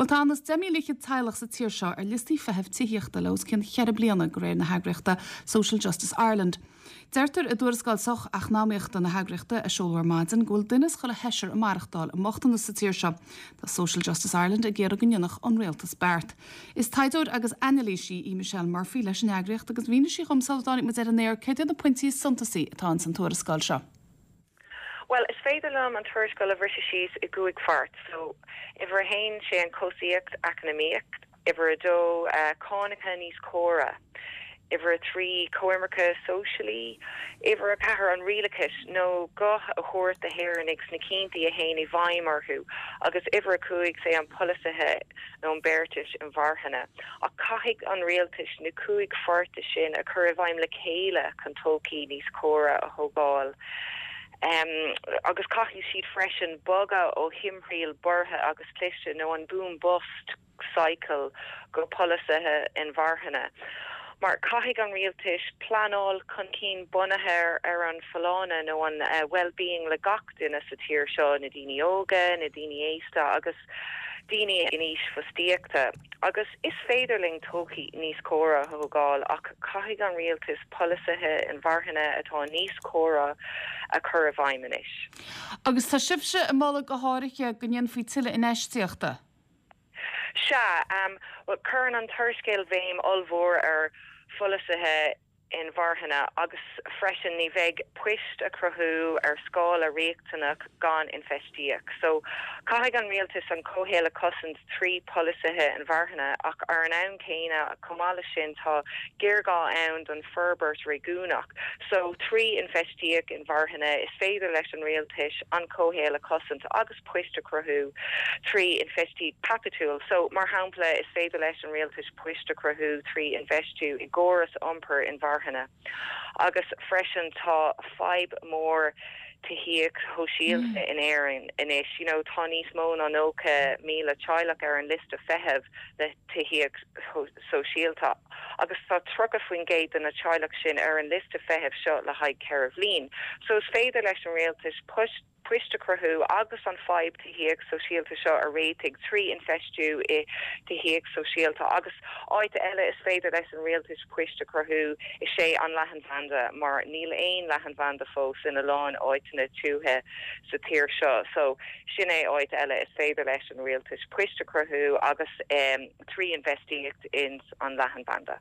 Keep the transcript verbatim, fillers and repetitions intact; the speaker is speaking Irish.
Well tá anuas deich míle fhichead teaghlach sa tír seo ar liostaí feithimh tithíochta le os cionn cheithre bliana de réir na heagraíochta Social Justice Ireland. Deirtear i dtuarascáil socheacnamaíochta na heagraíochta a seoladh ar maidin go bhfuil duine as chuile sheisear ag maireachtáil i mbochtanas sa tír seo. Tá Social Justice Ireland ag iarraidh go ndéanfadh an rialtas beart. Is taighdeoir agus anailísí í Michelle Murphy leis an eagraíocht agus mhínigh sí dhom sula dtáinig muid ar an aer céard iad na pointí is suntasaí atá in san tuarascáil seo. Well, is féidir liom an tuarascáil a bhriseadh síos i gcúig pháirt, so uimhir a haon sé an cobhsaíocht eacnamaíocht, uimhir a dó uh, cánacha níos córa. Uimhir a trí coimirce sóisialaí, uimhir a ceathair an rialachas nó guth a thabhairt do hÉireannaigh sna cinntí a théann i bhfeidhm orthu, agus uimhir a cúig sé an polasaithe nó an beartais inmharthana. Ach caithfidh an rialtas na cúig pháirte sin a chur i bhfeidhm le chéile chun todhchaí níos córa a thógáil. Um, agus caithfidh siad freisin bogadh ó thimthriall borrtha agus cliste nó an boom bust cycle go polasaithe inmharthana. Mar caithfidh an rialtas pleanáil chun cinn bunaithe ar an folláine nó an uh, well-being le gach duine sa tír seo na daoine óga, na daoine aosta agus daoine in aois fostaíochta. Agus is féidir linn todhchaí níos córa a thógáil ach caithfidh an rialtas polasaithe inmharthana atá níos córa a chur i bhfeidhm anois. Agus tá sibhse ag moladh go háirithe go ndéanfaí tuilleadh infheistíochta. Sea um, well, cuireann an tuarascáil béim ollmhór ar pholasaithe inmharthana agus freisin ní bheidh poist a chruthú ar scála riachtanach gan infheistíocht. So caithfidh an rialtas an comhshaol a chosaint trí pholasaithe inmharthana ach ar an am céanna chomh maith leis sin tá géarghá ann don forbairt réigiúnach. So trí infheistíocht inmharthana is féidir leis an rialtas an comhshaol a chosaint agus poist a chruthú trí infheistíocht chaipitiúil. So mar shampla is féidir leis an rialtas poist a chruthú trí infheistiú i gcóras iompair inmharthana. Agus freisin tá fadhb mór tithíocht shóisialta mm. in Éirinn anois you know, tá níos mó ná nócha míle teaghlach ar an liosta feithimh le tithíocht sóisialta. agus tá tríocha faoin gcéad de na teaghlaigh sin ar an liosta feithimh seo le haghaidh ceithre bliana. So is féidir leis an rialtas poist poist a chruthú agus an fadhb tithíocht sóisialta seo a réiteach trí infheistiú i tithíocht sóisialta agus áit eile is féidir leis an rialtas poist a chruthú is é an leathanbhanda mar níl aon leathanbhanda fós ina lán áiteanna tuaithe sa tír seo so sin é áit eile is féidir leis an rialtas poist a chruthú agus um, trí infheistíocht in an leathanbhanda.